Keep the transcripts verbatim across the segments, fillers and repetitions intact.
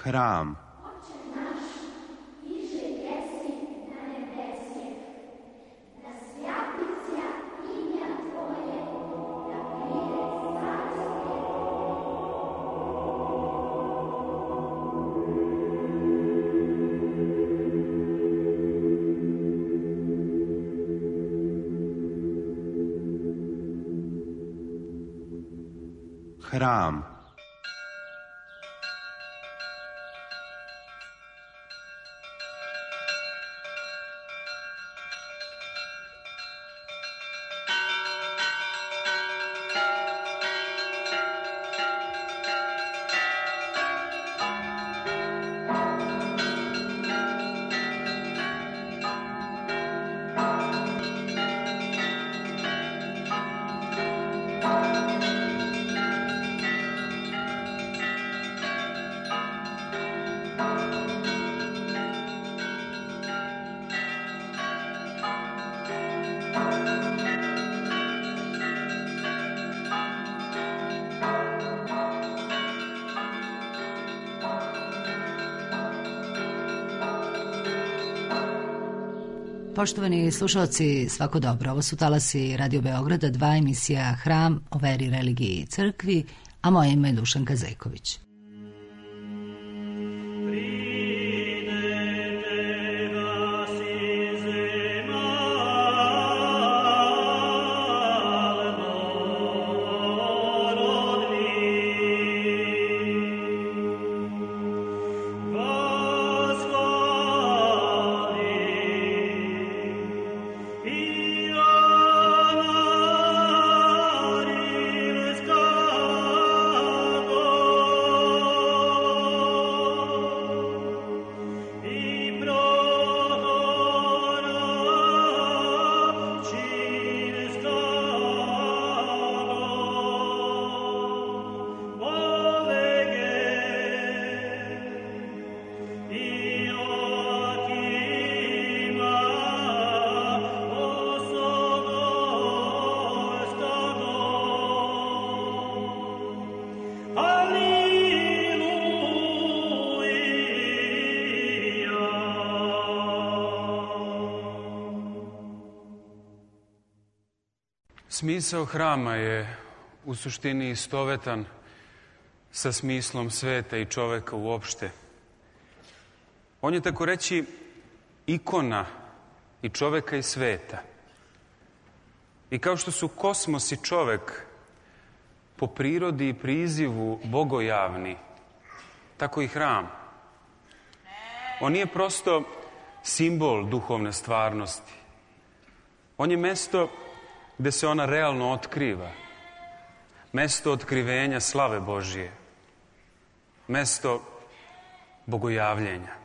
Hram. Hram. Poštovani slušalci, svako dobro. Ovo su talasi Radio Beograda, dva emisija Hram o veri, religiji i crkvi, a moje ime je Dušanka Zejković. Smisao hrama je u suštini istovetan sa smislom sveta i čoveka uopšte. On je tako reći ikona i čoveka i sveta. I kao što su kosmos i čovek po prirodi i prizivu bogojavni, tako i hram. On nije prosto simbol duhovne stvarnosti. On je mesto gde se ona realno otkriva. Mesto otkrivenja slave Božije. Mesto bogojavljenja.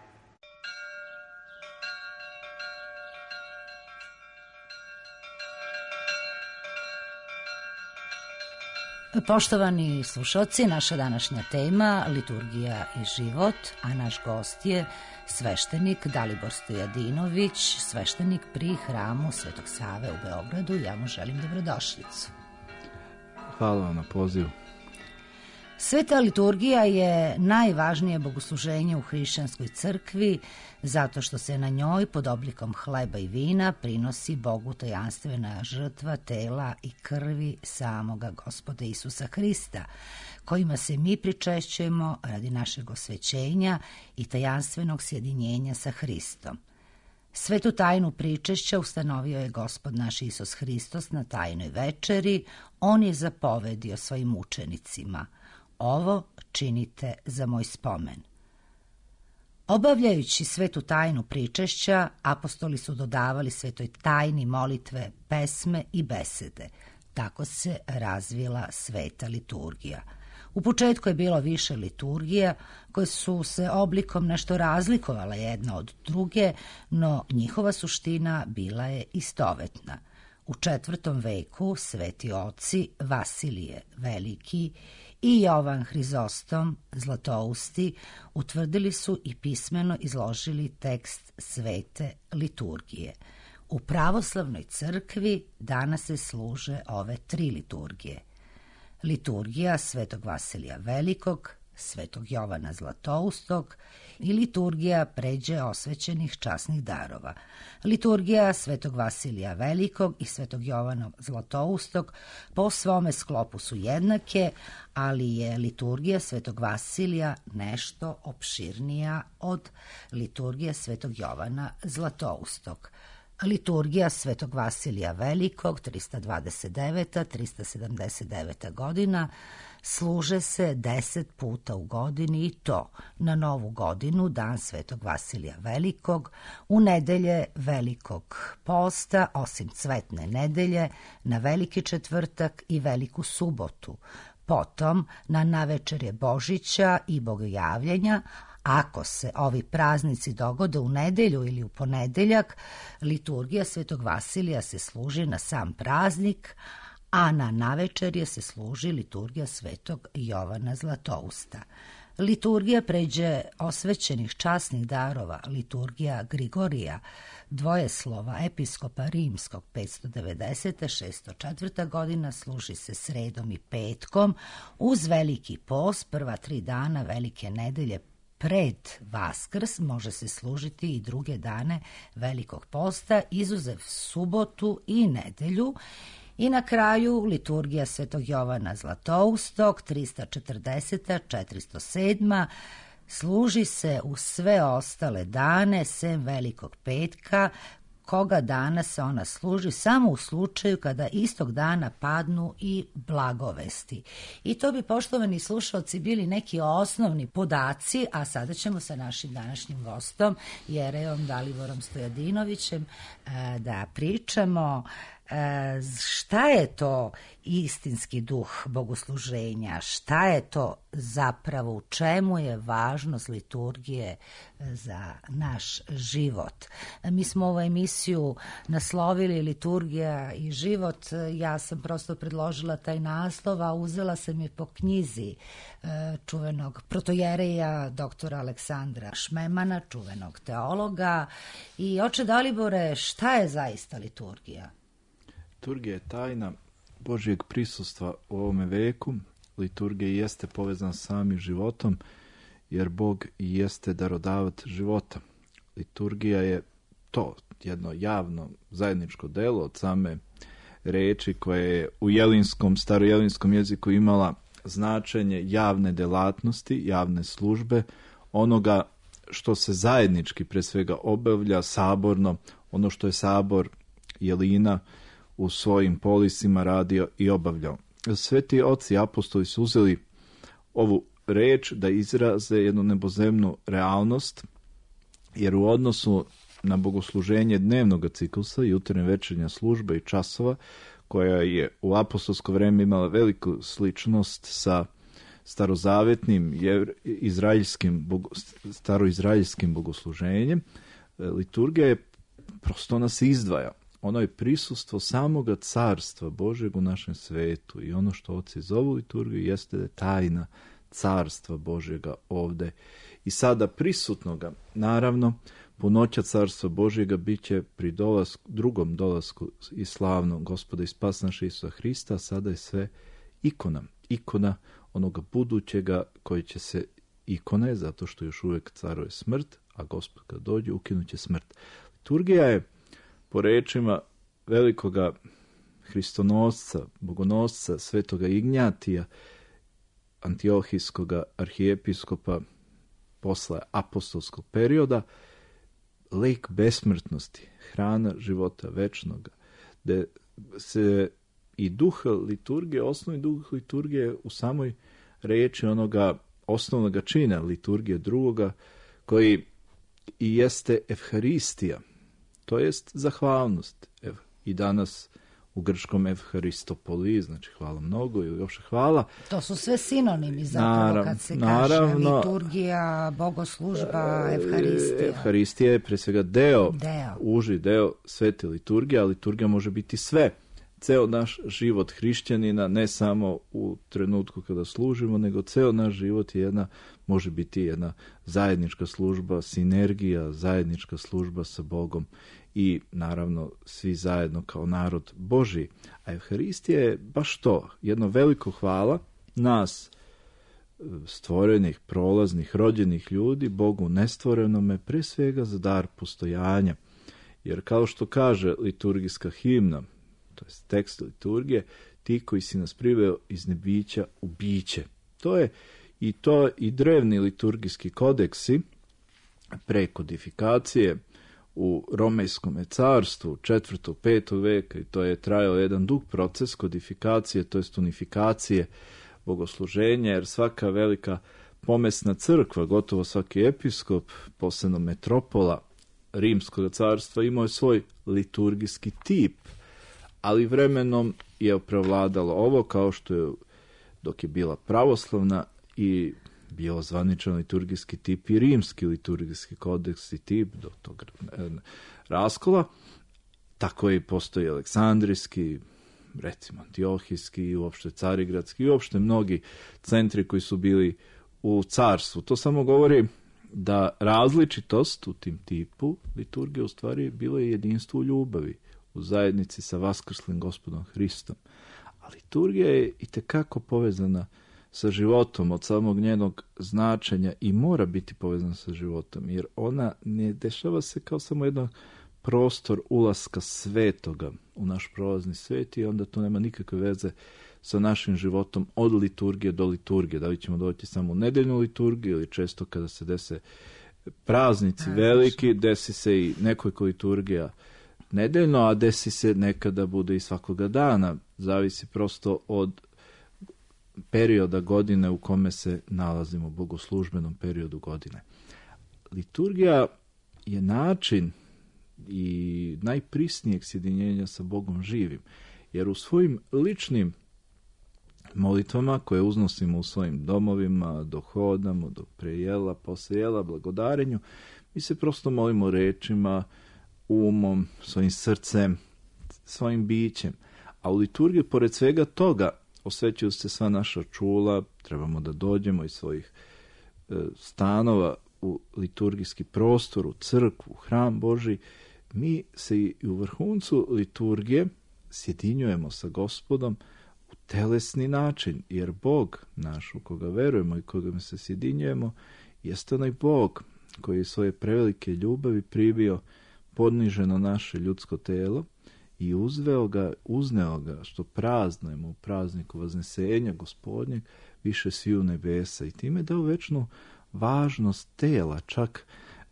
Poštovani slušalci, naša današnja tema liturgija i život, a naš gost je sveštenik Dalibor Stojadinović, sveštenik pri hramu Svetog Save u Beogradu. Ja mu želim dobrodošlicu. Hvala vam na pozivu. Sveta liturgija je najvažnije bogosluženje u hrišćanskoj crkvi zato što se na njoj pod oblikom hleba i vina prinosi Bogu tajanstvena žrtva tela i krvi samoga Gospoda Isusa Hrista, kojima se mi pričešćujemo radi našeg osvećenja i tajanstvenog sjedinjenja sa Hristom. Svetu tajnu pričešća ustanovio je Gospod naš Isus Hristos na tajnoj večeri. On je zapovedio svojim učenicima: ovo činite za moj spomen. Obavljajući svetu tajnu pričešća, apostoli su dodavali svetoj tajni molitve, pesme i besede. Tako se razvila sveta liturgija. U početku je bilo više liturgija koje su se oblikom nešto razlikovale jedna od druge, no njihova suština bila je istovetna. U četvrtom veku sveti oci Vasilije Veliki i Jovan Hrizostom Zlatousti utvrdili su i pismeno izložili tekst svete liturgije. U pravoslavnoj crkvi danas se služe ove tri liturgije: liturgija Svetog Vasilija Velikog, Svetog Jovana Zlatoustog i liturgija pređe osvećenih časnih darova. Liturgija Svetog Vasilija Velikog i Svetog Jovana Zlatoustog po svome sklopu su jednake, ali je liturgija Svetog Vasilija nešto opširnija od liturgije Svetog Jovana Zlatoustog. Liturgija Svetog Vasilija Velikog, trista dvadeset deveta do trista sedamdeset deveta godina, služe se deset puta u godini i to na Novu godinu, dan Svetog Vasilija Velikog, u nedelje Velikog posta, osim Cvetne nedelje, na Veliki četvrtak i Veliku subotu, potom na navečerje Božića i Bogojavljenja. Ako se ovi praznici dogode u nedelju ili u ponedeljak, liturgija Svetog Vasilija se služi na sam praznik, a na navečerje se služi liturgija Svetog Jovana Zlatousta. Liturgija pređe osvećenih časnih darova, liturgija Grigorija, dvojeslova episkopa Rimskog, petsto devedesete. šesto četvrta godina, služi se sredom i petkom, uz Veliki post, prva tri dana Velike nedelje pred Vaskrs, može se služiti i druge dane Velikog posta, izuzev subotu i nedelju. I na kraju liturgija Svetog Jovana Zlatoustog, trista četrdeseta. do četiristo sedma. služi se u sve ostale dane, sem Velikog petka, koga dana se ona služi samo u slučaju kada istog dana padnu i blagovesti. I to bi, poštovani slušalci, bili neki osnovni podaci, a sada ćemo sa našim današnjim gostom, Jerejom Daliborom Stojadinovićem, da pričamo šta je to istinski duh bogosluženja, šta je to zapravo, u čemu je važnost liturgije za naš život. Mi smo ovu emisiju naslovili Liturgija i život. Ja sam prosto predložila taj naslov, a uzela sam je po knjizi čuvenog protojereja doktora Aleksandra Šmemana, čuvenog teologa. I oče Dalibore, šta je zaista liturgija? Liturgija je tajna Božjeg prisustva u ovome veku. Liturgija jeste povezana s samim životom, jer Bog jeste darodavat života. Liturgija je to, jedno javno zajedničko delo od same reči koje je u jelinskom, starojelinskom jeziku imala značenje javne delatnosti, javne službe, onoga što se zajednički pre svega obavlja saborno, ono što je sabor Jelina u svojim polisima radio i obavljao. Sveti oci apostoli su uzeli ovu reč da izraze jednu nebozemnu realnost, jer u odnosu na bogosluženje dnevnog ciklusa, jutarnja večernja služba i časova, koja je u apostolsko vreme imala veliku sličnost sa starozavetnim izraelskim, staroizraelskim bogosluženjem, liturgija je prosto nas izdvaja. Ono je prisustvo samoga carstva Božeg u našem svetu i ono što oci zovu liturgiju jeste da je tajna carstva Božjega ovde i sada prisutnoga. Naravno, punoća carstva Božjega bit će pri dolasku, drugom dolasku i slavnog Gospoda i spas naša Isusa Hrista, sada je sve ikona. Ikona onoga budućega koji će se, ikona je zato što još uvek caruje smrt, a Gospod kad dođe ukinuće smrt. Liturgija je po rečima velikoga hristonosca, bogonosca, svetoga Ignjatija, antiohijskoga arhijepiskopa posle apostolskog perioda, lek besmrtnosti, hrana života večnoga, gde se i duh liturgije, osnovni duh liturgije u samoj reči onoga osnovnog čina liturgije drugoga, koji i jeste evharistija, to jest zahvalnost. Evo, i danas u grčkom evharistopoli, znači hvala mnogo ili još hvala. To su sve sinonimi zapravo, Narav, kad se naravno, kaže liturgija, bogoslužba, evharistija. Evharistija je pre svega deo, deo, uži deo svete liturgije, a liturgija može biti sve. Ceo naš život hrišćanina, ne samo u trenutku kada služimo, nego ceo naš život je jedna, može biti jedna zajednička služba, sinergija, zajednička služba sa Bogom i naravno svi zajedno kao narod Božji. A Evharistija je baš to, jedno veliko hvala nas stvorenih, prolaznih, rođenih ljudi, Bogu nestvorenome, pre svega za dar postojanja. Jer kao što kaže liturgijska himna, to je tekst liturgije, ti koji si nas priveo iz nebića u biće. To je i to i drevni liturgijski kodeksi pre kodifikacije u Romejskom carstvu četvrtog petog veka, i to je trajao jedan dug proces kodifikacije, to jest unifikacije bogosluženja, jer svaka velika pomesna crkva, gotovo svaki episkop, posebno metropola Rimskog carstva, imao je svoj liturgijski tip, ali vremenom je prevladalo ovo, kao što je dok je bila pravoslavna i bio zvaničan liturgijski tip i rimski liturgijski kodeks i tip do tog raskola, tako i postoji aleksandrijski, recimo antiohijski i uopšte carigradski i uopšte mnogi centri koji su bili u carstvu. To samo govori da različitost u tim tipu liturgije u stvari bilo je jedinstvo u ljubavi, u zajednici sa vaskrslim Gospodom Hristom. A liturgija je itekako povezana sa životom od samog njenog značenja i mora biti povezana sa životom, jer ona ne dešava se kao samo jedan prostor ulaska svetoga u naš prolazni svet i onda to nema nikakve veze sa našim životom od liturgije do liturgije. Da li ćemo doći samo u nedeljnu liturgiju ili često kada se dese praznici veliki, desi se i nekoliko liturgija nedeljno, a desi se nekada bude i svakoga dana. Zavisi prosto od perioda godine u kome se nalazimo, u bogoslužbenom periodu godine. Liturgija je način i najprisnijeg sjedinjenja sa Bogom živim, jer u svojim ličnim molitvama koje uznosimo u svojim domovima, dok hodamo, dok prejela, posle jela, blagodarenju, mi se prosto molimo rečima, umom, svojim srcem, svojim bićem. A u liturgiji, pored svega toga, osvećuju se sva naša čula, trebamo da dođemo iz svojih e, stanova u liturgijski prostor, u crkvu, u hram Božji. Mi se i u vrhuncu liturgije sjedinjujemo sa Gospodom u telesni način, jer Bog naš u koga verujemo i koga se sjedinjujemo jeste onaj Bog koji je svoje prevelike ljubavi pribio podniženo naše ljudsko telo i uzveo ga, uzneo ga, što praznujemo u prazniku Vaznesenja Gospodnjeg, više sviju nebesa, i time dao večnu važnost tela. Čak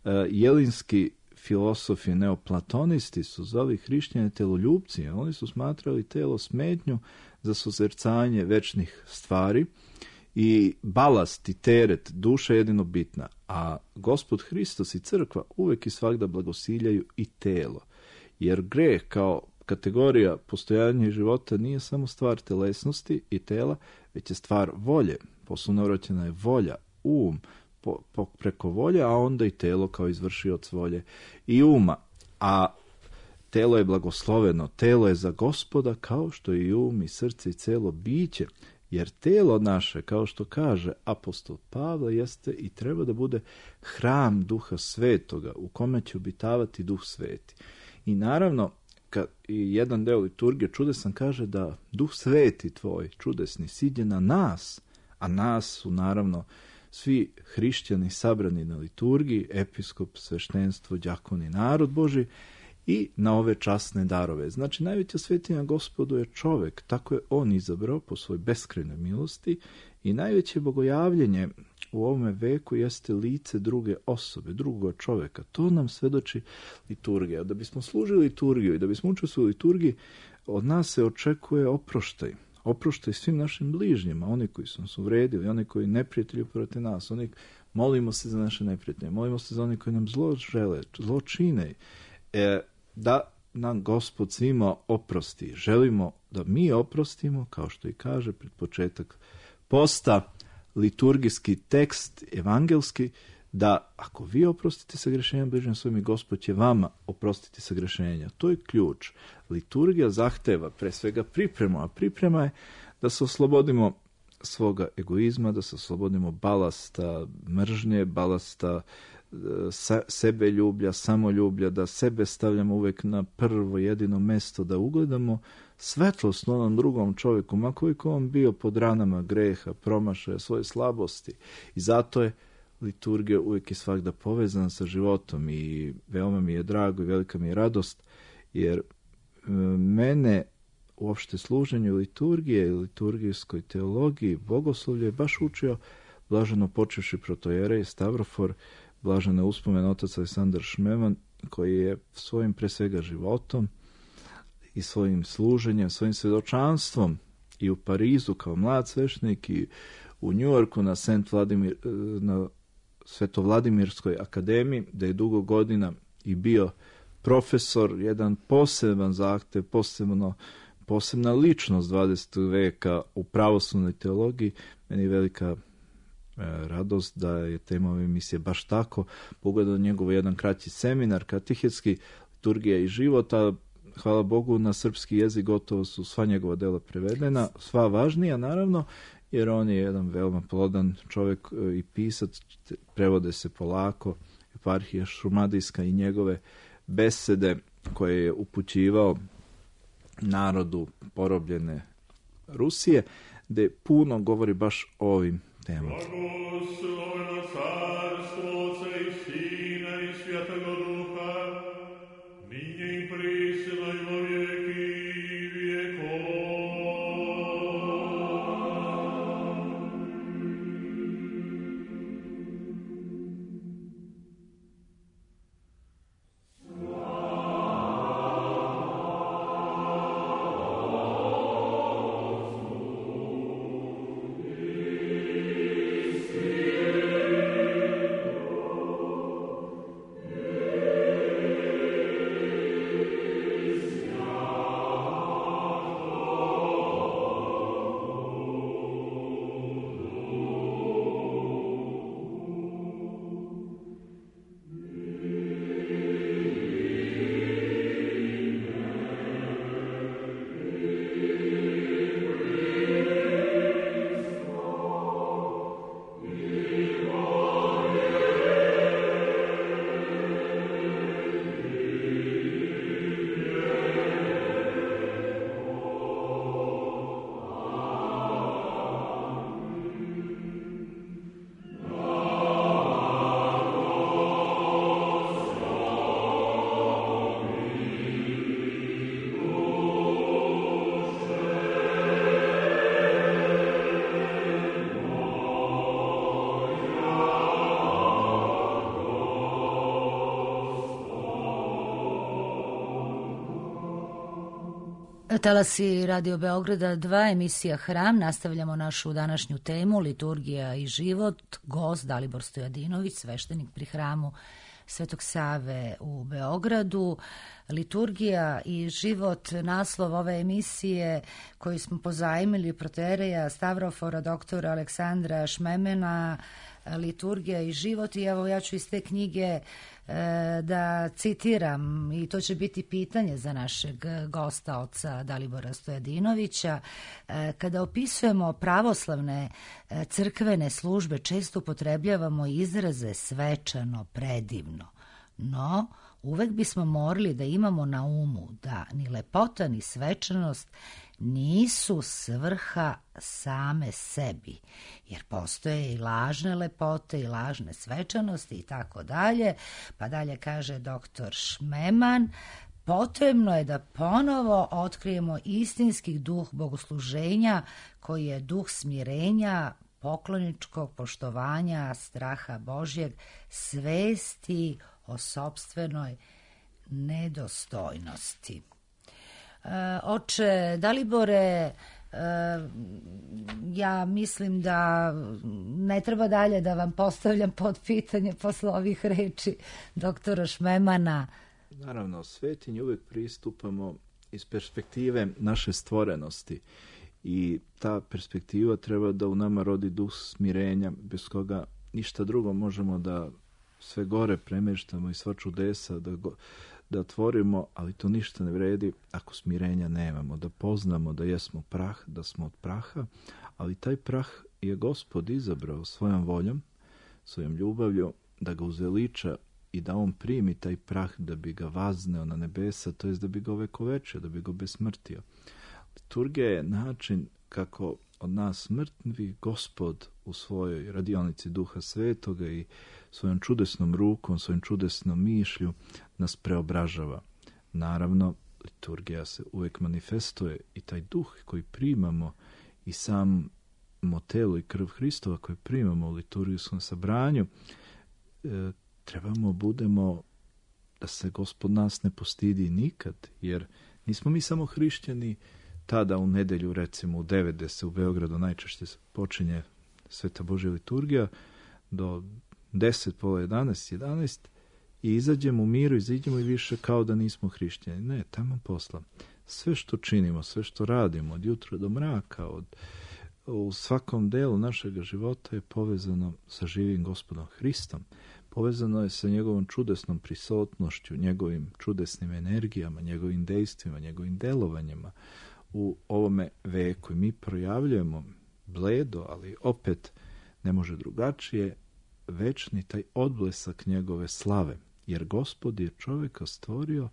uh, jelinski filosofi, neoplatonisti su zvali hrišćane teloljubci. Oni su smatrali telo smetnju za sozercanje večnih stvari i balast i teret, duša je jedino bitna, a Gospod Hristos i crkva uvek i svakda blagosiljaju i telo. Jer greh kao kategorija postojanja i života nije samo stvar telesnosti i tela, već je stvar volje. Poslovnovraćena je volja, um, po, po, preko volje, a onda i telo kao izvršioc volje i uma. A telo je blagosloveno, telo je za Gospoda, kao što i um i srce i celo biće. Jer telo naše, kao što kaže apostol Pavle, jeste i treba da bude hram Duha Svetoga, u kome će obitavati Duh Sveti. I naravno, kad i jedan deo liturgije čudesan kaže da Duh Sveti tvoj, čudesni, siđe na nas, a nas su naravno svi hrišćani sabrani na liturgiji, episkop, sveštenstvo, đakoni, narod Božji, i na ove časne darove. Znači, najveća svetinja Gospodu je čovek, tako je on izabrao po svoj beskrajnoj milosti, i najveće bogojavljenje u ovome veku jeste lice druge osobe, drugog čoveka. To nam svedoči liturgija. Da bismo služili liturgiju i da bismo učestvovali u liturgiji, od nas se očekuje oproštaj. Oproštaj svim našim bližnjima, oni koji su nas uvredili, oni koji neprijatelji protiv nas, oni molimo se za naše neprijatelje, molimo se za oni koji nam zlo žele, zlo čine. E, da nam Gospod svima oprosti. Želimo da mi oprostimo, kao što i kaže pred početak posta, liturgijski tekst evangelski, da ako vi oprostite sagrešenja bližnjim svojim, Gospod će vama oprostiti sagrešenja. To je ključ. Liturgija zahteva pre svega pripremu, a priprema je da se oslobodimo svoga egoizma, da se oslobodimo balasta mržnje, balasta sebe ljublja, samoljublja, da sebe stavljamo uvek na prvo jedino mesto, da ugledamo svetlost na onom drugom čovjeku, ma koliko on bio pod ranama greha, promašaja, svoje slabosti. I zato je liturgija uvijek i svakda povezana sa životom i veoma mi je drago i velika mi je radost, jer mene uopšte služenju liturgije i liturgijskoj teologiji, bogoslovlju je baš učio blaženo počevši protojerej Stavrofor, blažene uspomene otac Aleksandar Šmeman, koji je svojim pre svega životom i svojim služenjem, svojim svjedočanstvom i u Parizu kao mlad sveštenik i u Njujorku na Saint Vladimir, na Svetovladimirskoj akademiji, da je dugo godina i bio profesor, jedan poseban zahtev, posebno, posebna ličnost dvadesetog veka u pravoslavnoj teologiji. Meni je velika e, radost da je tema ove emisije baš tako. Pogledao njegov jedan kraći seminar, katehetski, liturgija i život, a hvala Bogu na srpski jezik gotovo su sva njegova dela prevedena, sva važnija naravno, jer on je jedan veoma plodan čovjek i pisac, prevode se polako, eparhija šumadijska i njegove besede koje je upućivao narodu porobljene Rusije, gde puno govori baš o ovim temama. Talasi Radio Beograda dva, emisija Hram. Nastavljamo našu današnju temu liturgija i život. Gost Dalibor Stojadinović, sveštenik pri hramu Svetog Save u Beogradu. Liturgija i život, naslov ove emisije koju smo pozajmili protereja Stavrofora doktora Aleksandra Šmemena, liturgija i život. I evo ja ću iz te knjige e, da citiram, i to će biti pitanje za našeg gosta, oca Dalibora Stojadinovića. E, kada opisujemo pravoslavne e, crkvene službe, često upotrebljavamo izraze svečano, predivno. No, uvek bismo morali da imamo na umu da ni lepota ni svečanost nisu svrha same sebi, jer postoje i lažne lepote i lažne svečanosti i tako dalje. Pa dalje kaže doktor Šmeman, potrebno je da ponovo otkrijemo istinski duh bogosluženja koji je duh smirenja, pokloničkog poštovanja, straha Božjeg, svesti o sopstvenoj nedostojnosti. E, oče Dalibore, e, ja mislim da ne treba dalje da vam postavljam pod pitanje posle ovih reči doktora Šmemana. Naravno, svetinji uvijek pristupamo iz perspektive naše stvorenosti i ta perspektiva treba da u nama rodi duh smirenja, bez koga ništa drugo možemo da sve gore premeštamo i sva čudesa da, go, da tvorimo, ali to ništa ne vredi ako smirenja nemamo, da poznamo da jesmo prah, da smo od praha, ali taj prah je Gospod izabrao svojom voljom, svojom ljubavlju da ga uzveliča i da on primi taj prah da bi ga vazneo na nebesa, to jest da bi ga ovekovečio, da bi ga besmrtio. Liturgija je način kako od nas mrtvi Gospod u svojoj radionici Duha Svetoga i svojom čudesnom rukom, svojom čudesnom mišlju nas preobražava. Naravno, liturgija se uvijek manifestuje i taj duh koji primamo i sam telo i krv Hristova koje primamo u liturgijskom sabranju, e, trebamo budemo da se Gospod nas ne postidi nikad, jer nismo mi samo hrišćani tada u nedelju, recimo u devet, gde se u Beogradu najčešće počinje Sveta Božja liturgija, do deset, pola jedanaest, jedanaest, i izađemo u miru, izađemo i više kao da nismo hrišćani. Ne, tamo posla. Sve što činimo, sve što radimo, od jutra do mraka, od, u svakom delu našeg života je povezano sa živim Gospodom Hristom. Povezano je sa njegovom čudesnom prisutnošću, njegovim čudesnim energijama, njegovim dejstvima, njegovim delovanjima u ovome veku. I mi projavljujemo bledo, ali opet ne može drugačije, večni taj odblesak njegove slave. Jer Gospod je čovjeka stvorio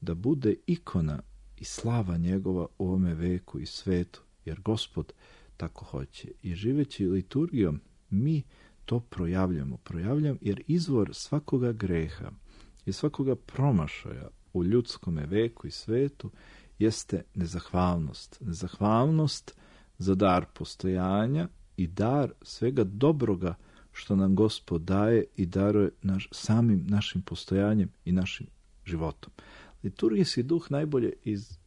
da bude ikona i slava njegova u ovome veku i svetu. Jer Gospod tako hoće. I živeći liturgijom mi to projavljamo. Projavljam jer izvor svakoga greha i svakoga promašaja u ljudskome veku i svetu jeste nezahvalnost. Nezahvalnost za dar postojanja i dar svega dobroga što nam Gospod daje i daruje naš, samim našim postojanjem i našim životom. Liturgijski duh najbolje iz,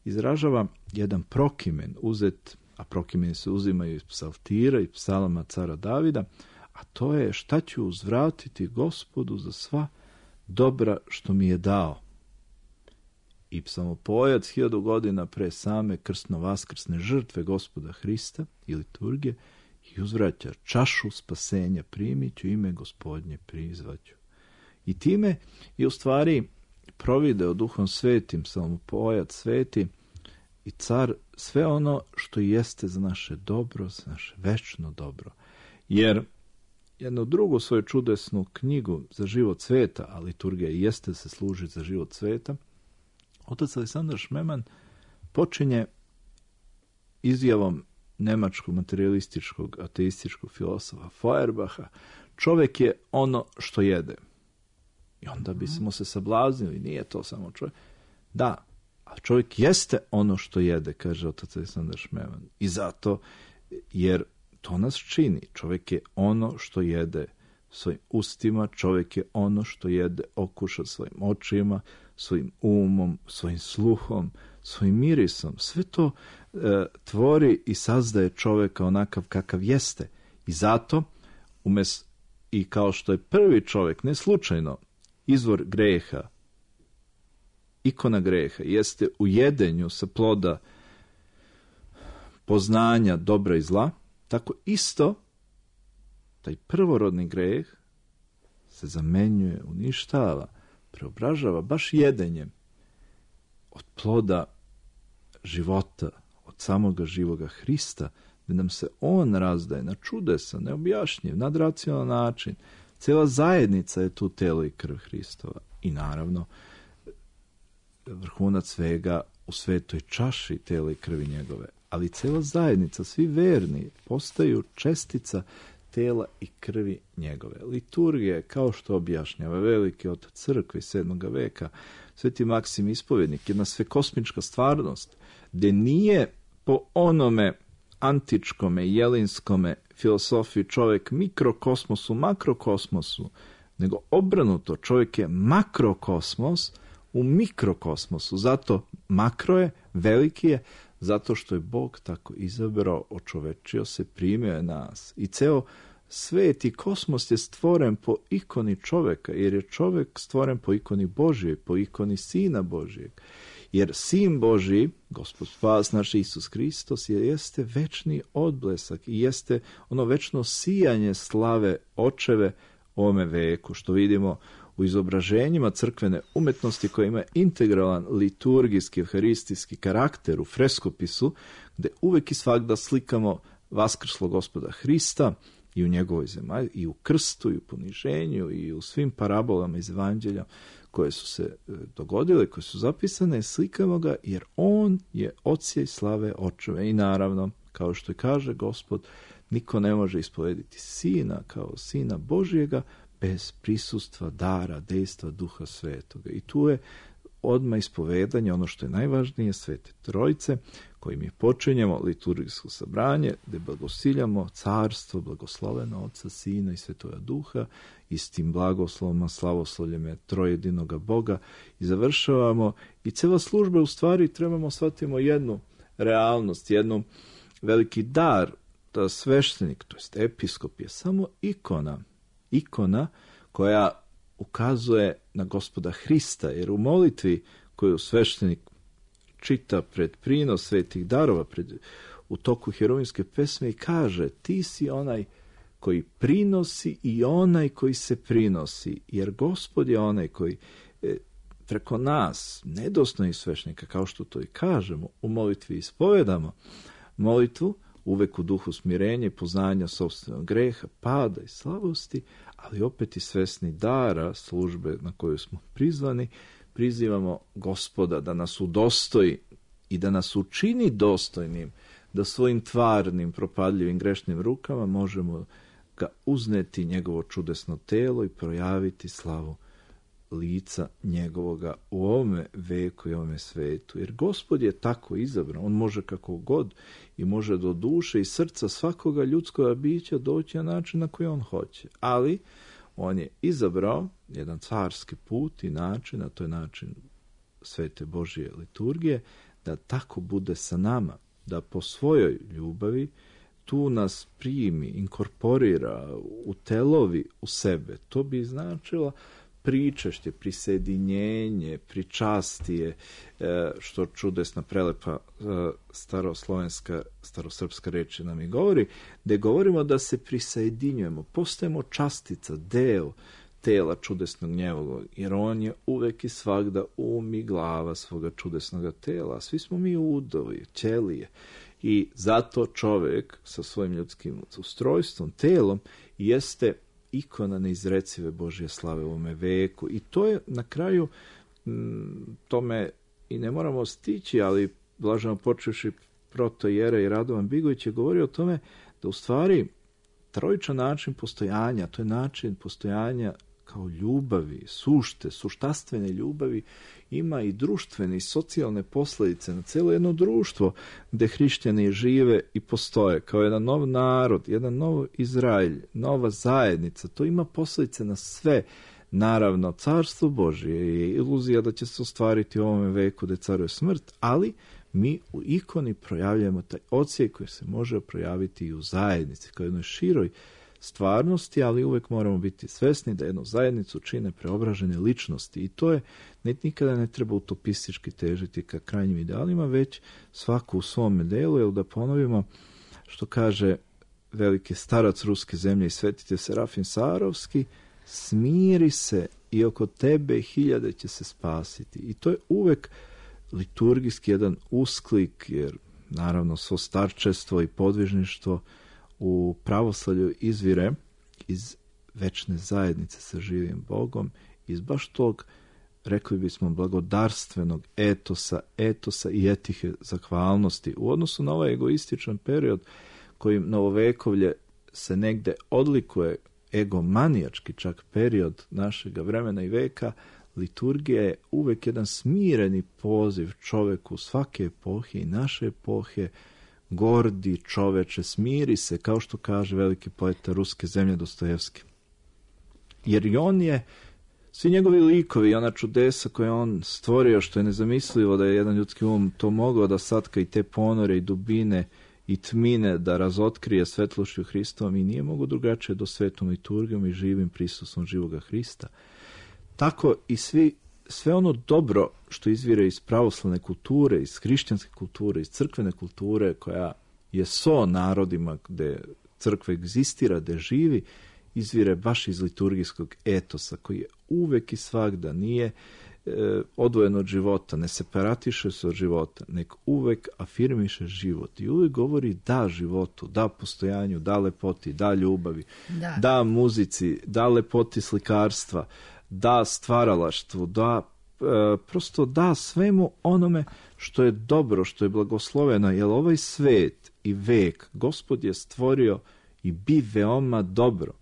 izražava jedan prokimen uzet, a prokimeni se uzimaju iz psaltira i psalama cara Davida, a to je šta ću uzvratiti Gospodu za sva dobra što mi je dao. I psalmopojac hiljadu godina pre same krsno-vaskrsne žrtve Gospoda Hrista i liturgije i uzvraća čašu spasenja primit ću, ime Gospodnje prizvaću. I time je u stvari provideo Duhom Svetim, psalmopojac sveti i car sve ono što jeste za naše dobro, za naše večno dobro. Jer jednu drugu svoju čudesnu knjigu za život sveta, a liturgija jeste se služi za život sveta, otac Aleksandar Šmeman počinje izjavom nemačkog materialističkog ateističkog filosofa Feuerbacha: čovjek je ono što jede. I onda bismo se sablaznili, nije to samo čovjek. Da, a čovjek jeste ono što jede, kaže otac Aleksandar Šmeman. I zato, jer to nas čini. Čovjek je ono što jede svojim ustima, čovjek je ono što jede okuša svojim očima, svojim umom, svojim sluhom, svojim mirisom. Sve to e, tvori i sazdaje čovjeka onakav kakav jeste. I zato, umes, i kao što je prvi čovjek, ne slučajno, izvor greha, ikona greha, jeste u jedenju sa ploda poznanja dobra i zla, tako isto taj prvorodni greh se zamenjuje, uništava, preobražava baš jedenjem od ploda života, od samoga živoga Hrista, da nam se on razdaje na čudesan, neobjašnjiv, nadracionalan način. Cijela zajednica je tu telo i krv Hristova. I naravno, vrhunac svega u svetoj čaši tela i krvi njegove. Ali cijela zajednica, svi verni, postaju čestica tela i krvi njegove. Liturgija je, kao što objašnjava veliki otac crkve iz sedmog veka, Sveti Maksim Ispovjednik, jedna svekosmička stvarnost, gdje nije po onome antičkome, jelinskome filosofiji čovjek mikrokosmosu, makrokosmosu, nego obrnuto, čovjek je makrokosmos u mikrokosmosu. Zato makro je, veliki je, zato što je Bog tako izabrao, očovečio se, primio je nas. I ceo svet i kosmos je stvoren po ikoni čovjeka, jer je čovjek stvoren po ikoni Božije, po ikoni Sina Božijeg. Jer Sin Božiji, Gospod spas naš Isus Hristos, je, jeste večni odblesak i jeste ono večno sijanje slave očeve ovome veku, što vidimo u izobraženjima crkvene umetnosti koja ima integralan liturgijski, evharistijski karakter u freskopisu, gde uvek i svagda slikamo vaskrslog Gospoda Hrista i u njegovoj zemaji, i u krstu, i u poniženju, i u svim parabolama iz evanđelja koje su se dogodile, koje su zapisane, slikamo ga jer on je odsjej slave očeve. I naravno, kao što i kaže Gospod, niko ne može ispovediti sina kao sina Božjega bez prisustva, dara, dejstva Duha Svetoga. I tu je odmah ispovedanje, ono što je najvažnije, Svete Trojice, kojim je počinjemo liturgijsko sabranje, gde blagosiljamo carstvo, blagosloveno Oca, Sina i Svetoga Duha, i s tim blagoslovima, slavoslovljeme trojedinoga Boga i završavamo. I cela služba, u stvari, trebamo shvatimo jednu realnost, jednu veliki dar, da sveštenik, to jest episkop, je samo ikona, ikona koja ukazuje na Gospoda Hrista, jer u molitvi koju sveštenik čita pred prinos svetih darova, pred, u toku herovimske pesme, i kaže: ti si onaj koji prinosi i onaj koji se prinosi, jer Gospod je onaj koji e, preko nas, nedostojnih sveštenika, kao što to i kažemo, u molitvi ispovedamo molitvu, uvek u duhu smirenja i poznanja sopstvenog greha, pada i slabosti, ali opet i svesni dara službe na koju smo prizvani, prizivamo Gospoda da nas udostoji i da nas učini dostojnim, da svojim tvarnim, propadljivim, grešnim rukama možemo ga uzneti njegovo čudesno telo i projaviti slavu lica njegovoga u ovome veku i ovome svetu. Jer Gospod je tako izabrao, on može kako god i može do duše i srca svakoga ljudskoga bića doći na način na koji on hoće. Ali on je izabrao jedan carski put i način, a to je način Svete Božje liturgije, da tako bude sa nama, da po svojoj ljubavi tu nas primi, inkorporira, utelovi u sebe. To bi značilo pričašće, prisedinjenje, pričastije, što čudesna, prelepa staroslovenska, starosrpska reč nam i govori, gde govorimo da se prisedinjujemo, postajemo častica, deo tela čudesnog njegovog, jer on je uvek i svagda um i glava svoga čudesnog tela. Svi smo mi udovi, ćelije. I zato čovek sa svojim ljudskim ustrojstvom, telom, jeste ikona neizrecive Božje slave u ovome veku. I to je na kraju, m, tome i ne moramo stići, ali blaženo počevši protojere i Radovan Bigović je govorio o tome da u stvari trojičan način postojanja, to je način postojanja kao ljubavi, sušte, suštastvene ljubavi, ima i društvene i socijalne posljedice na cijelo jedno društvo gde hrišćani žive i postoje kao jedan nov narod, jedan nov Izraelj, nova zajednica. To ima posljedice na sve. Naravno, carstvo Božje je iluzija da će se ostvariti u ovome veku gde caruje smrt, ali mi u ikoni projavljamo taj odsjej koji se može projaviti i u zajednici, kao jednoj široj stvarnosti, ali uvek moramo biti svesni da jednu zajednicu čine preobražene ličnosti i to je, nikada ne treba utopistički težiti ka krajnjim idealima, već svaku u svome delu, jer da ponovimo što kaže veliki starac ruske zemlje i svetitelj Serafim Sarovski: smiri se i oko tebe hiljade će se spasiti. I to je uvek liturgijski jedan usklik, jer naravno svo starčestvo i podvižništvo u pravoslavlju izvire iz večne zajednice sa živim Bogom, iz baš tog, rekli bismo, blagodarstvenog etosa, etosa i etihe zahvalnosti u odnosu na ovaj egoističan period kojim novovekovlje se negde odlikuje, egomanijački čak period našeg vremena i veka. Liturgija je uvek jedan smireni poziv čoveku svake epohe i naše epohe: gordi čoveče, smiri se, kao što kaže veliki poeta ruske zemlje Dostojevski. Jer i on je, svi njegovi likovi i ona čudesa koje on stvorio, što je nezamislivo da je jedan ljudski um to mogao da satka i te ponore i dubine i tmine da razotkrije svetlošću Hristovom, i nije mogo drugačije do svetom liturgijom i živim prisustvom živoga Hrista. Tako i svi, sve ono dobro što izvire iz pravoslavne kulture, iz hrišćanske kulture, iz crkvene kulture, koja je so narodima gde crkva egzistira, gde živi, izvire baš iz liturgijskog etosa, koji je uvek i svagda, nije odvojen od života, ne separatiše se od života, nek uvek afirmiše život i uvek govori da životu, da postojanju, da lepoti, da ljubavi, da, da muzici, da lepoti slikarstva, da stvaralaštvu, da e, prosto da svemu onome što je dobro, što je blagosloveno, jer ovaj svet i vek Gospod je stvorio i bi veoma dobro.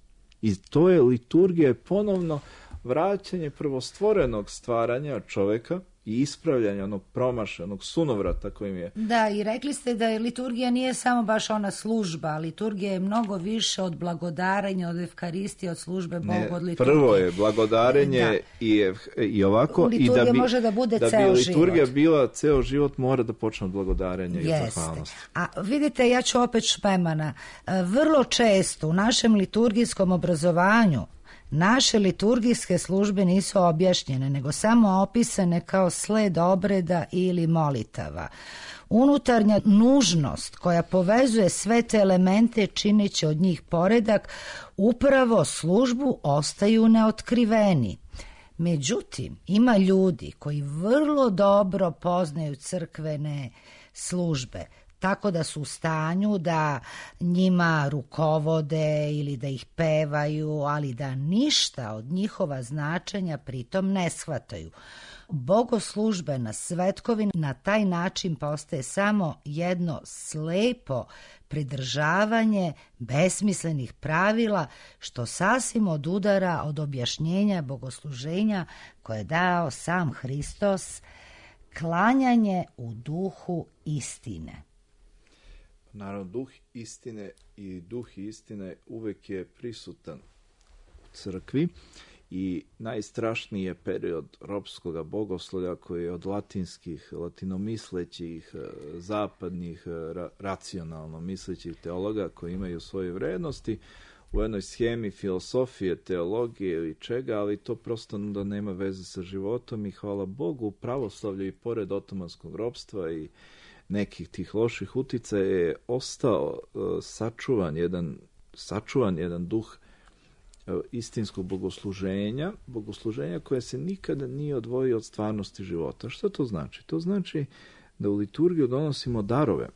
I to je liturgija ponovno vraćanje prvostvorenog stvaranja čoveka i ispravljanja onog promašenog sunovrata kojim je. Da, i rekli ste da je liturgija nije samo baš ona služba, liturgija je mnogo više od blagodarenja, od evkaristije, od službe Bogu, ne, od liturgije. Prvo je blagodarenje da. i, i ovako. Liturgija i da bi, može da bude da ceo bi liturgija život. bila ceo život, mora da počne od blagodarenja i od zahvalnosti. A vidite, ja ću opet špemana. Vrlo često u našem liturgijskom obrazovanju naše liturgijske službe nisu objašnjene, nego samo opisane kao sled obreda ili molitava. Unutarnja nužnost koja povezuje sve te elemente čineći od njih poredak, upravo službu ostaju neotkriveni. Međutim, ima ljudi koji vrlo dobro poznaju crkvene službe, tako da su u stanju da njima rukovode ili da ih pevaju, ali da ništa od njihova značenja pritom ne shvataju. Bogoslužbena svetkovina na taj način postaje samo jedno slepo pridržavanje besmislenih pravila, što sasvim odudara od objašnjenja bogosluženja koje je dao sam Hristos, klanjanje u duhu istine. Naravno, duh istine i duh istine uvek je prisutan u crkvi i najstrašniji je period ropskog bogoslovlja koji je od latinskih, latinomislećih, zapadnih, ra- racionalno mislećih teologa koji imaju svoje vrednosti u jednoj schemi filosofije, teologije ili čega, ali to prosto da nema veze sa životom i hvala Bogu u pravoslavlju i pored otomanskog ropstva i nekih tih loših uticaja je ostao uh, sačuvan jedan sačuvan jedan duh uh, istinskog bogosluženja, bogosluženja koje se nikada nije odvojio od stvarnosti života. Što to znači? To znači da u liturgiju donosimo darove.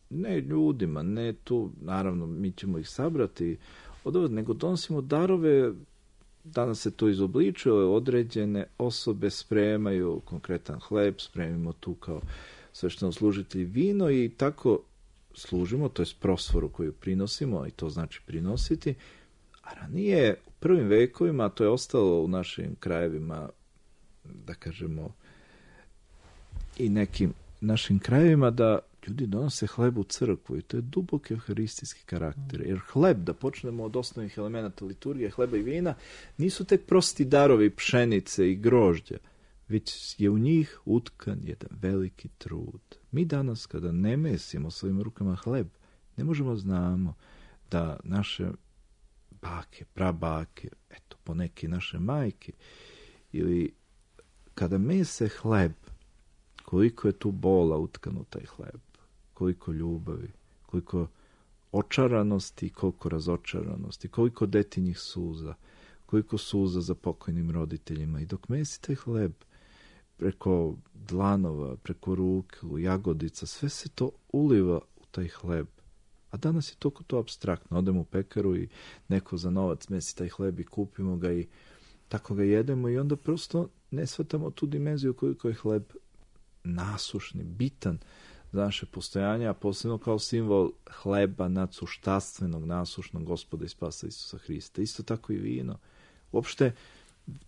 Ne ljudima, ne tu, naravno mi ćemo ih sabrati od ovog, nego donosimo darove. Danas se to izobličuje, određene osobe spremaju konkretan hleb, spremimo tu kao sveštenoslужitelji vino i tako služimo, to je prosforu koju prinosimo, i to znači prinositi. A ranije, u prvim vekovima, to je ostalo u našim krajevima, da kažemo, i nekim našim krajevima, da ljudi donose hleb u crkvu i to je dubok evharistijski karakter. Jer hleb, da počnemo od osnovnih elemenata liturgije, hleba i vina, nisu tek prosti darovi pšenice i grožđa, već je u njih utkan jedan veliki trud. Mi danas, kada ne mesimo svojim rukama hleb, ne možemo znamo da naše bake, prabake, eto, poneke naše majke, ili kada mese hleb, koliko je tu bola utkano taj hleb, koliko ljubavi, koliko očaranosti, koliko razočaranosti, koliko detinjih suza, koliko suza za pokojnim roditeljima. I dok mesi taj hleb, preko dlanova, preko ruku, jagodica, sve se to uliva u taj hleb. A danas je toliko to apstraktno. Odemo u pekaru i neko za novac mesi taj hleb i kupimo ga i tako ga jedemo i onda prosto ne shvatamo tu dimenziju koliko je hleb nasušni, bitan za naše postojanje, a posebno kao simbol hleba nadsuštastvenog, nasušnog Gospoda i Spasa Isusa Hrista. Isto tako i vino. Uopšte,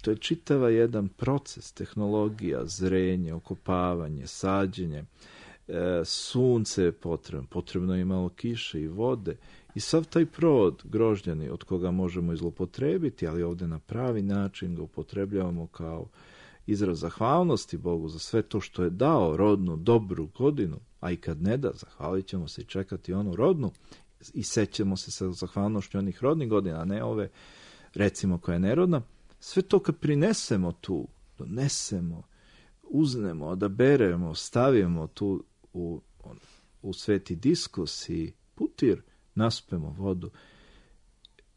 to je čitava jedan proces, tehnologija, zrenje, okopavanje, sađenje, e, sunce je potrebno, potrebno je malo kiše i vode i sav taj provod grožđani od koga možemo izlopotrebiti, ali ovde na pravi način ga upotrebljavamo kao izraz zahvalnosti Bogu za sve to što je dao, rodnu, dobru godinu, a i kad ne da, zahvalit ćemo se i čekati onu rodnu i sećamo se sa zahvalnošću onih rodnih godina, a ne ove, recimo, koja je nerodna. Sve to kad prinesemo tu, donesemo, uznemo, odaberemo, stavimo tu u, u sveti diskus i putir, naspemo vodu,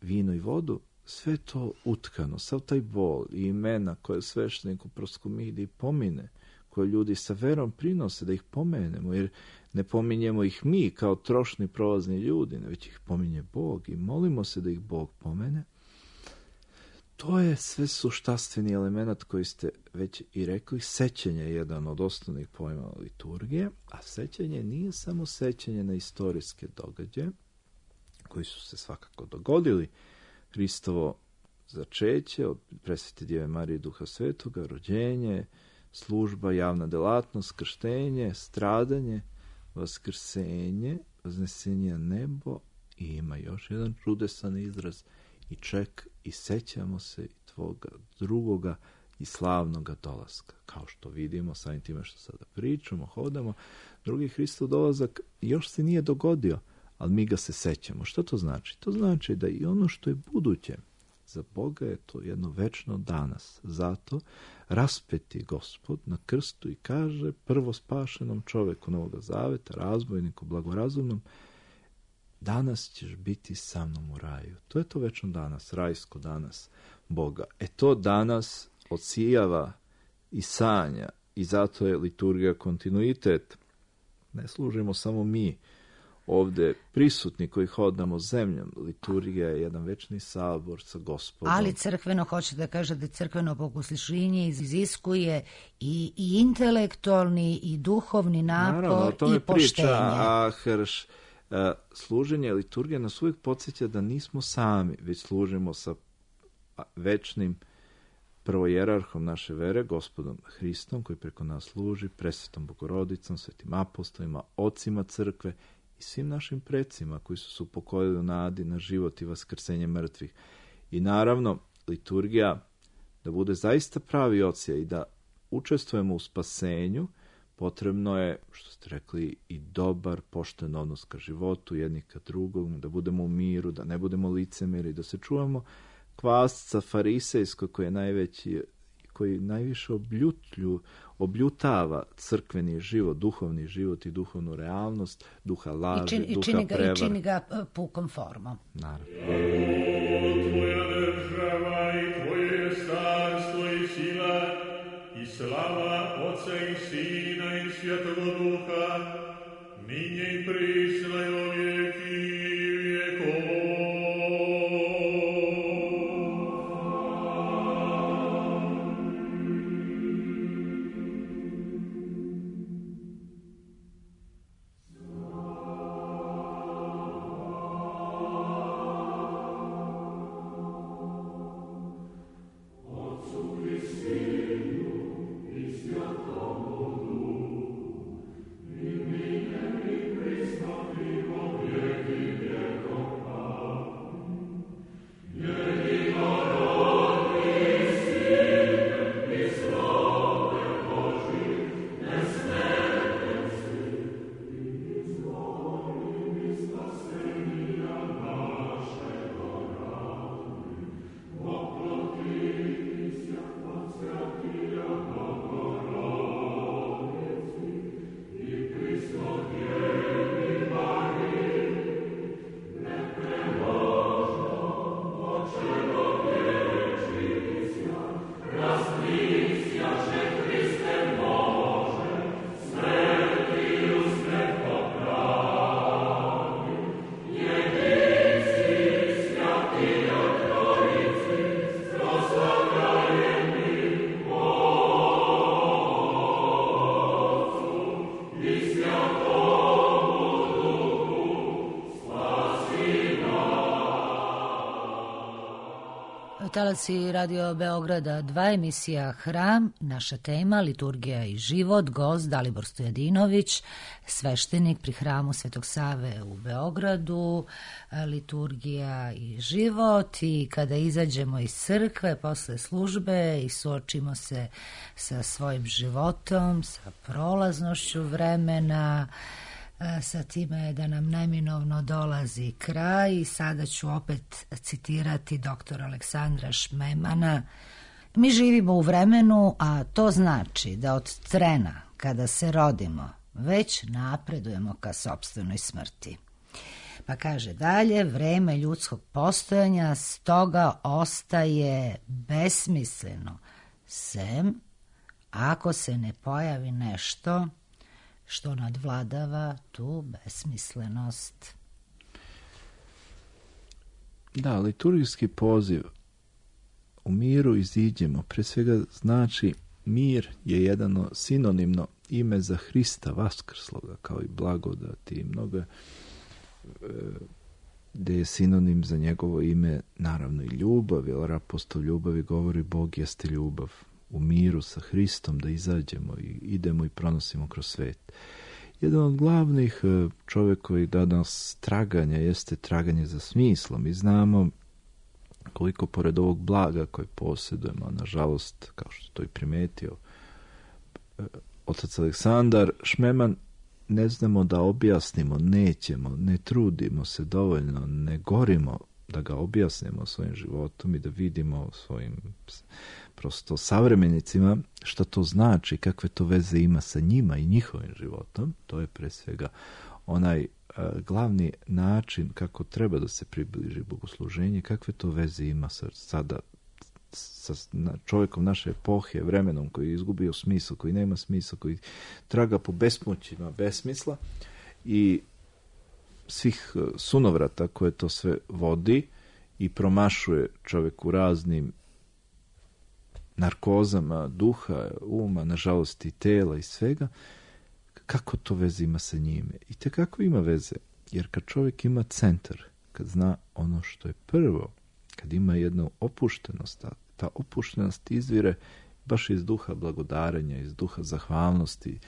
vino i vodu, sve to utkano, sav taj bol i imena koje sveštenik u proskomidiji pomine, koje ljudi sa verom prinose da ih pomenemo, jer ne pominjemo ih mi kao trošni prolazni ljudi, već ih pominje Bog i molimo se da ih Bog pomene. To je sve suštastveni element koji ste već i rekli. Sećanje je jedan od osnovnih pojmova liturgije, a sećanje nije samo sećanje na istorijske događaje, koji su se svakako dogodili. Hristovo začeće od presvete Djeve Marije i Duha Svetoga, rođenje, služba, javna delatnost, krštenje, stradanje, vaskrsenje, vaznesenje na nebo i ima još jedan čudesan izraz i ček i sećamo se i tvoga drugoga i slavnoga dolaska. Kao što vidimo, samim time što sada pričamo, hodamo, drugi Hristov dolazak još se nije dogodio, ali mi ga se sećamo. Što to znači? To znači da i ono što je buduće, za Boga je to jedno večno danas. Zato raspeti Gospod na krstu i kaže prvo spašenom čoveku Novoga Zaveta, razbojniku blagorazumnom, danas ćeš biti sa mnom u raju. To je to večno danas, rajsko danas Boga. E to danas odsijava i sanja i zato je liturgija kontinuitet. Ne služimo samo mi ovde prisutni koji hodamo zemljom. Liturgija je jedan večni sabor sa Gospodom. Ali crkveno, hoće da kaže da crkveno bogosluženje iziskuje i, i intelektualni i duhovni napor. Naravno, o tome i poštenje. Priča, a hrš, a, služenje liturgije nas uvijek podsjeća da nismo sami, već služimo sa večnim prvojerarhom naše vere, Gospodom Hristom, koji preko nas služi, presvetom Bogorodicom, svetim apostolima, ocima crkve i svim našim precima koji su se upokojili u nadi na život i vaskrsenje mrtvih. I naravno, liturgija, da bude zaista pravi ocija i da učestvujemo u spasenju, potrebno je, što ste rekli, i dobar, pošten odnos ka životu, jednih ka drugom, da budemo u miru, da ne budemo licemeri, da se čuvamo kvasca farisejskog koji je najveći, koji najviše obljutlju, obljutava crkveni život, duhovni život i duhovnu realnost, duha laži, I čini, duha čini ga, prevar. I čini ga pukom formom. Naravno. Tvoja država i tvoje carstvo i sila i slava Otca i Sina i Svjetog Duha, ninje i prisna i o vijeki vijekova. Talasi Radio Beograda, dva emisija Hram, naša tema liturgija i život, gost Dalibor Stojadinović, sveštenik pri hramu Svetog Save u Beogradu, liturgija i život. I kada izađemo iz crkve posle službe i suočimo se sa svojim životom, sa prolaznošću vremena, sa time da nam neminovno dolazi kraj. I sada ću opet citirati doktora Aleksandra Šmemana. Mi živimo u vremenu, a to znači da od trena kada se rodimo već napredujemo ka sopstvenoj smrti. Pa kaže dalje, vreme ljudskog postojanja stoga ostaje besmisleno, sem ako se ne pojavi nešto što nadvladava tu besmislenost. Da, liturgijski poziv u miru iziđemo, pre svega znači mir je jedno sinonimno ime za Hrista vaskrsloga, kao i blagodati i mnogo e, gde je sinonim za njegovo ime naravno i ljubav, jer apostol ljubavi govori Bog jeste ljubav, u miru sa Hristom da izađemo i idemo i pronosimo kroz svet. Jedan od glavnih čovjekovih danas traganja jeste traganje za smislom i znamo koliko pored ovog blaga koje posjedujemo, nažalost, kao što to i primetio otac Aleksandar Šmeman, ne znamo da objasnimo, nećemo, ne trudimo se dovoljno, ne gorimo da ga objasnimo svojim životom i da vidimo svojim prosto savremenicima što to znači, kakve to veze ima sa njima i njihovim životom. To je pre svega onaj uh, glavni način kako treba da se približi bogosluženje, kakve to veze ima sa, sada sa čovjekom naše epohe, vremenom koji je izgubio smisao, koji nema smisla, koji traga po besmoćima besmisla i svih sunovrata koje to sve vodi i promašuje čovjek u raznim narkozama duha, uma, nažalost i tela i svega, kako to veze ima sa njime? I te kako ima veze? Jer kad čovjek ima centar, kad zna ono što je prvo, kad ima jednu opuštenost, ta opuštenost izvire baš iz duha blagodarenja, iz duha zahvalnosti,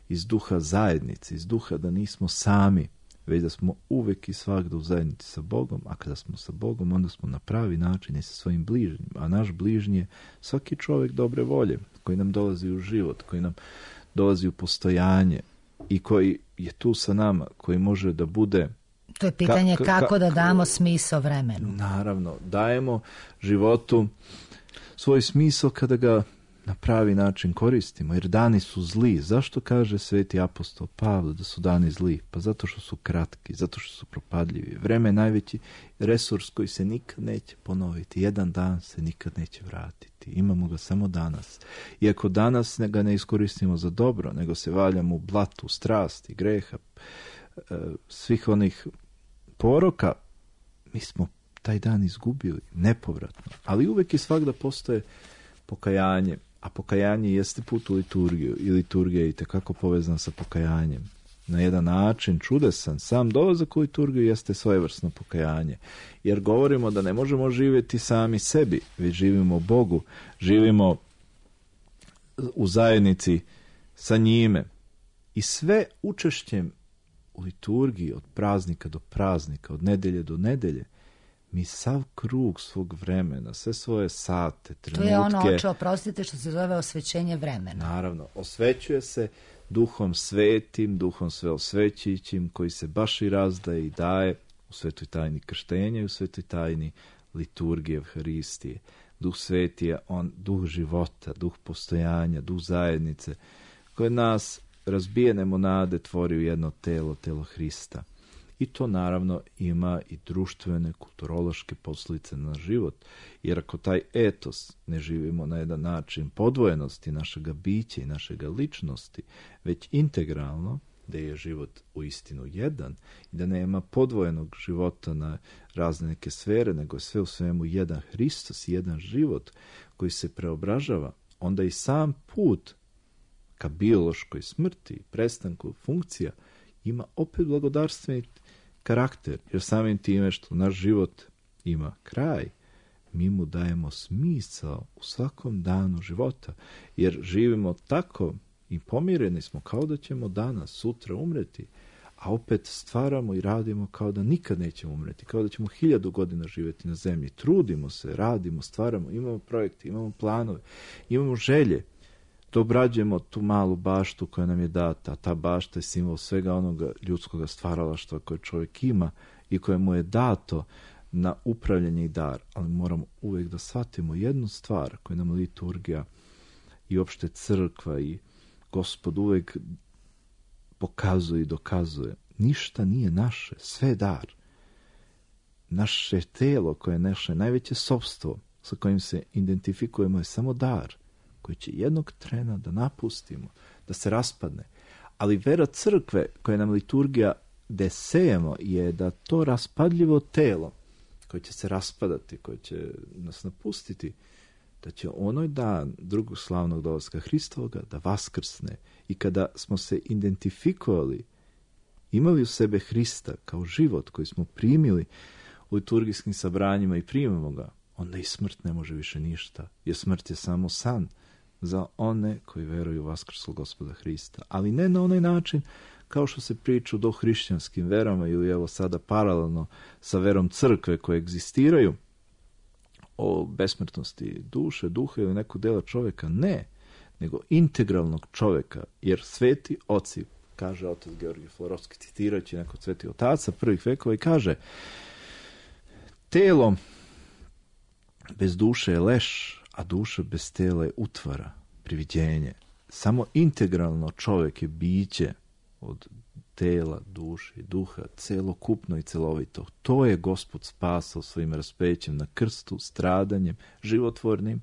iz duha zajednice, iz duha da nismo sami, već da smo uvek i svakda u zajednici sa Bogom, a kada smo sa Bogom, onda smo na pravi način i sa svojim bližnjim. A naš bližnji je svaki čovjek dobre volje, koji nam dolazi u život, koji nam dolazi u postojanje i koji je tu sa nama, koji može da bude... To je pitanje ka, ka, kako da ka, damo smisao vremenu. Naravno, dajemo životu svoj smisao kada ga na pravi način koristimo, jer dani su zli. Zašto kaže sveti apostol Pavle da su dani zli? Pa zato što su kratki, zato što su propadljivi. Vreme je najveći resurs koji se nikad neće ponoviti. Jedan dan se nikad neće vratiti. Imamo ga samo danas. I ako danas ga ne iskoristimo za dobro, nego se valjamo u blatu, strasti, greha, svih onih poroka, mi smo taj dan izgubili nepovratno. Ali uvek i svakda postoje pokajanje, a pokajanje jeste put u liturgiju i liturgija je itekako povezana sa pokajanjem. Na jedan način čudesan, sam dolazak u liturgiju jeste svojevrsno pokajanje, jer govorimo da ne možemo živjeti sami sebi, već živimo Bogu, živimo u zajednici sa njime i sve učešćem u liturgiji od praznika do praznika, od nedelje do nedelje, mi sav krug svog vremena, sve svoje sate, trenutke... To je ono, oče, oprostite, što se zove osvećenje vremena. Naravno, osvećuje se duhom svetim, duhom sveosvećujućim, koji se baš i razdaje i daje u svetoj tajni krštenja i u svetoj tajni liturgije Evharistije. Duh sveti je on, duh života, duh postojanja, duh zajednice, koje nas razbijene monade tvori u jedno telo, telo Hrista. I to naravno ima i društvene, kulturološke posljedice na život. Jer ako taj etos ne živimo na jedan način podvojenosti našega bića i našega ličnosti, već integralno, da je život u istinu jedan i da nema podvojenog života na razne neke sfere, nego je sve u svemu jedan Hristos i jedan život koji se preobražava, onda i sam put ka biološkoj smrti, prestanku funkcija, ima opet blagodarstveni karakter, jer samim time što naš život ima kraj, mi mu dajemo smisao u svakom danu života, jer živimo tako i pomireni smo kao da ćemo danas, sutra umreti, a opet stvaramo i radimo kao da nikad nećemo umreti, kao da ćemo hiljadu godina živjeti na zemlji. Trudimo se, radimo, stvaramo, imamo projekte, imamo planove, imamo želje da obrađujemo tu malu baštu koja nam je data, a ta bašta je simbol svega onoga ljudskog stvaralaštva koje čovjek ima i koje mu je dato na upravljanje i dar. Ali moramo uvijek da shvatimo jednu stvar koju nam liturgija i opšte crkva i Gospod uvijek pokazuje i dokazuje. Ništa nije naše, sve je dar. naše telo, koje je naše najveće sopstvo, sa kojim se identifikujemo, je samo dar, koji će jednog trena da napustimo, da se raspadne. Ali vera crkve, koja nam liturgija gde sejemo, je da to raspadljivo telo, koje će se raspadati, koje će nas napustiti, da će onoj dan drugog slavnog dolaska Hristovoga da vaskrsne. I kada smo se identifikovali, imali u sebe Hrista kao život koji smo primili u liturgijskim sabranjima i primamo ga, onda i smrt ne može više ništa, jer smrt je samo san za one koji veruju u vaskrslog Gospoda Hrista. Ali ne na onaj način kao što se priča u dohrišćanskim verama ili evo sada paralelno sa verom crkve koje egzistiraju o besmrtnosti duše, duha ili nekog dela čovjeka. Ne, nego integralnog čovjeka, jer sveti oci, kaže otac Georgije Florovski, citirajući nekog svetih otaca prvih vekova, i kaže: telo bez duše je leš, a duša bez tela je utvara, priviđenje. Samo integralno čovjek je biće od tela, duše i duha, celokupno i celovito. To je Gospod spasao svojim raspećem na krstu, stradanjem, životvornim,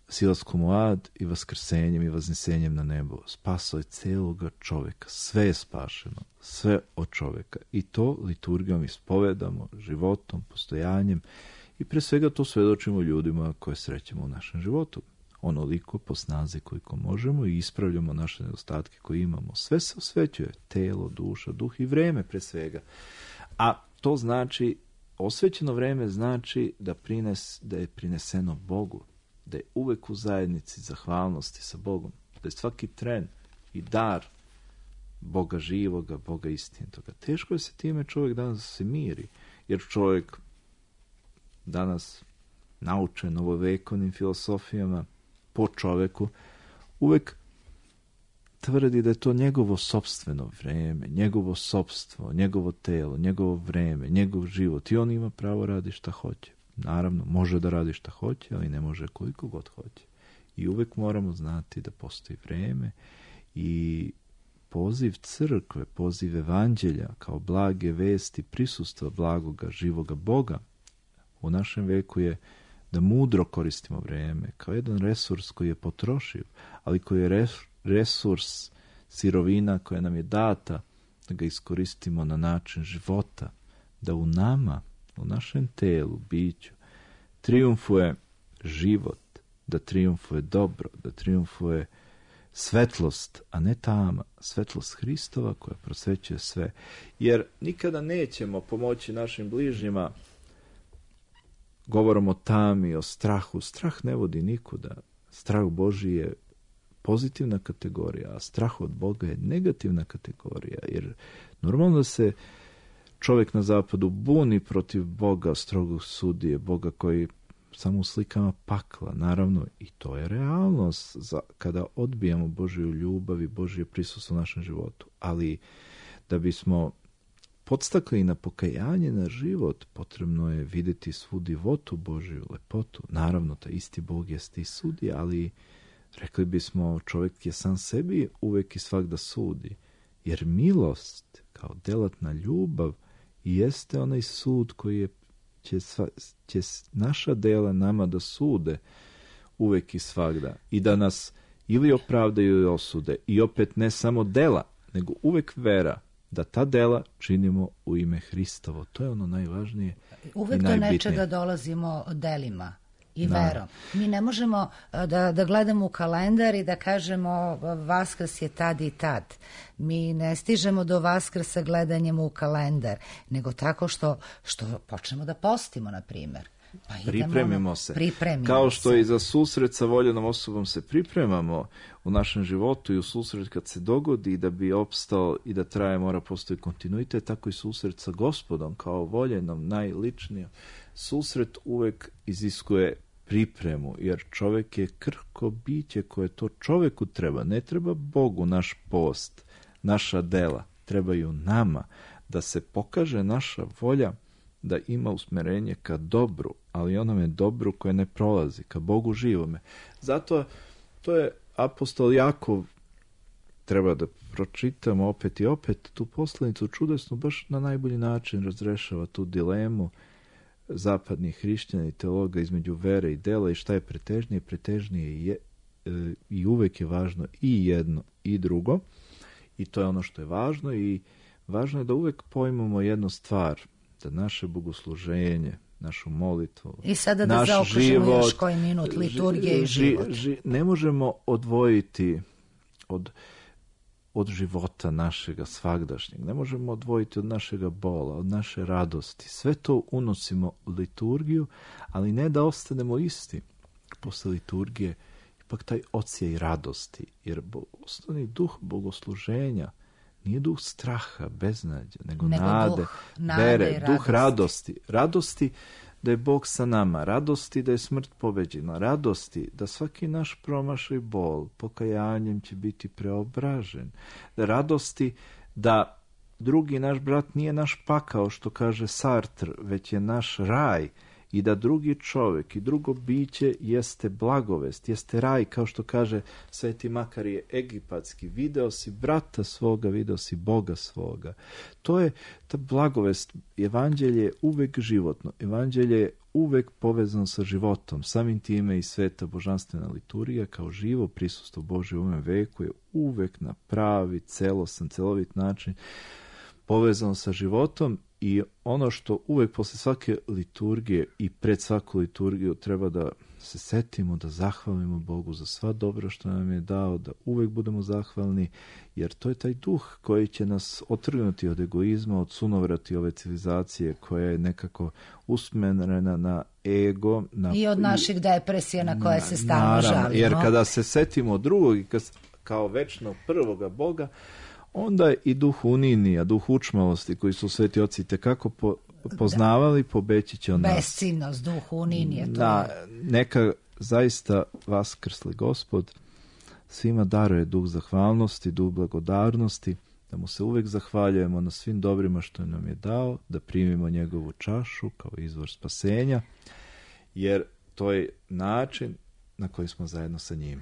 silaskom u ad i vaskrsenjem i vaznesenjem na nebo. Spasao je celoga čovjeka. Sve je spašeno. Sve od čovjeka. I to liturgijom ispovedamo, životom, postojanjem, i pre svega to svedočimo ljudima koje srećemo u našem životu. Onoliko po snazi koliko možemo i ispravljamo naše nedostatke koje imamo. Sve se osvećuje. Telo, duša, duh i vreme pre svega. A to znači, osvećeno vreme znači da, prines, da je prineseno Bogu. Da je uvek u zajednici zahvalnosti sa Bogom. Da je svaki tren i dar Boga živoga, Boga istinitoga. Teško je se time čovjek danas se miri. Jer čovjek danas naučen novovekovnim filosofijama po čoveku uvek tvrdi da je to njegovo sopstveno vreme, njegovo sopstvo, njegovo telo, njegovo vreme, njegov život, i on ima pravo radi šta hoće. Naravno, može da radi šta hoće, ali ne može koliko god hoće. I uvek moramo znati da postoji vreme i poziv crkve, poziv evanđelja kao blage vesti prisustva blagoga, živoga Boga u našem veku je da mudro koristimo vreme kao jedan resurs koji je potrošiv, ali koji je resurs, sirovina koja nam je data, da ga iskoristimo na način života, da u nama, u našem telu, biću, triumfuje život, da triumfuje dobro, da triumfuje svetlost, a ne tama, svetlost Hristova koja prosvećuje sve. Jer nikada nećemo pomoći našim bližnjima govorom o tami, o strahu. Strah ne vodi nikuda. Strah Božji je pozitivna kategorija, a strah od Boga je negativna kategorija. Jer normalno da se čovjek na zapadu buni protiv Boga, strogog sudije, Boga koji samo u slikama pakla, naravno, i to je realnost za, kada odbijamo Božju ljubav i Božje prisustvo u našem životu. Ali da bismo podstakli na pokajanje, na život, potrebno je vidjeti svu divotu Božju, lepotu. Naravno, ta isti Bog jeste i sudi, ali rekli bismo, čovjek je sam sebi uvek i svakda sudi. Jer milost, kao delatna ljubav, jeste onaj sud koji je, će, sva, će naša dela nama da sude uvek i svakda. I da nas ili opravdaju ili osude. I opet ne samo dela, nego uvek vera. Da ta dela činimo u ime Hristovo. To je ono najvažnije. Uvek do nečega dolazimo delima i da. Verom. Mi ne možemo da, da gledamo u kalendar i da kažemo Vaskrs je tad i tad. Mi ne stižemo do Vaskrsa gledanjem u kalendar, nego tako što, što počnemo da postimo, na primjer. Pa pripremimo se. Pripremimo Kao što se. i za susret sa voljenom osobom se pripremamo u našem životu i u susret kad se dogodi da bi opstao i da traje, mora postoji kontinuitet, tako i susret sa Gospodom kao voljenom, najličnijom. Susret uvek iziskuje pripremu, jer čovjek je krhko biće koje to čovjeku treba. Ne treba Bogu naš post, naša dela. Trebaju nama da se pokaže naša volja da ima usmerenje ka dobru, ali onome dobru koje ne prolazi, ka Bogu živome. Zato to je apostol Jakov treba da pročitamo opet i opet tu poslanicu čudesnu, baš na najbolji način razrešava tu dilemu zapadnih hrišćana i teologa između vere i dela i šta je pretežnije. Pretežnije je e, i uvek je važno i jedno i drugo, i to je ono što je važno, i važno je da uvek pojmemo jednu stvar, da naše bogosluženje, našu molitvu, i sada da naš zaokružimo život, još koji minut liturgije i ži, život. Ži, ne možemo odvojiti od, od života našega svagdašnjeg, ne možemo odvojiti od našega bola, od naše radosti. Sve to unosimo u liturgiju, ali ne da ostanemo isti. Posle liturgije ipak taj odsjej radosti, jer osnovni duh bogosluženja nije duh straha, beznađa, nego, nego nade, duh nade, vere, radosti. duh radosti. Radosti da je Bog sa nama, radosti da je smrt pobeđena, radosti da svaki naš promašaj bol pokajanjem će biti preobražen, da radosti da drugi naš brat nije naš pakao, što kaže Sartre, već je naš raj, i da drugi čovjek i drugo biće jeste blagovest, jeste raj, kao što kaže Sveti Makarije Egipatski, video si brata svoga, video si Boga svoga. To je ta blagovest. Evanđelje je uvek životno, evanđelje je uvek povezano sa životom, samim time i sveta božanstvena liturgija kao živo prisustvo Božje u ovom veku je uvek na pravi, celosan, celovit način povezano sa životom. I ono što uvek posle svake liturgije i pred svaku liturgiju treba da se setimo, da zahvalimo Bogu za sva dobra što nam je dao, da uvek budemo zahvalni, jer to je taj duh koji će nas otrgnuti od egoizma, od sunovrati ove civilizacije koja je nekako usmerena na ego. Na, I od naših depresija na koje na, se stalno naravno, žalimo. Jer kada se setimo drugog i kao večnog prvoga Boga, onda i duh unijnija, duh učmalosti koji su sveti oci tekako po, poznavali, pobeći će od nas. Besciljnost, duh unijnije. Da, neka zaista vaskrsli Gospod svima daruje duh zahvalnosti, duh blagodarnosti, da mu se uvek zahvaljujemo na svim dobrima što nam je dao, da primimo njegovu čašu kao izvor spasenja, jer to je način na koji smo zajedno sa njime.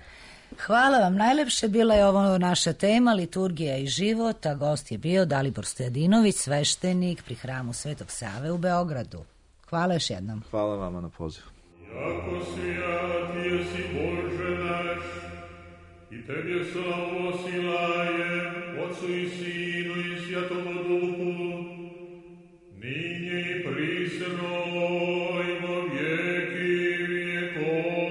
Hvala vam najlepše, bila je ovo naša tema liturgija i život, a gost je bio Dalibor Stojadinović, sveštenik pri hramu Svetog Save u Beogradu. Hvala još jednom. Hvala vama na pozivu. Jako svijat jesi Bože naš, i Tebe slavu osilajem, Otcu i Sinu i Svjatomu Duhu, ninje i prisno i vo vijeki vijekov.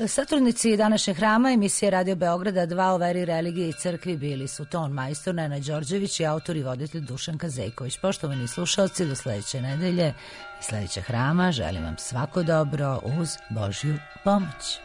Saturnici današnjeg hrama emisije Radio Beograda dva o veri, religiji i crkvi bili su ton majstor Nenad Đorđević i autor i voditelj Dušan Kazejković. Poštovani slušalci, do sledeće nedelje i sledećeg hrama želim vam svako dobro uz Božju pomoć.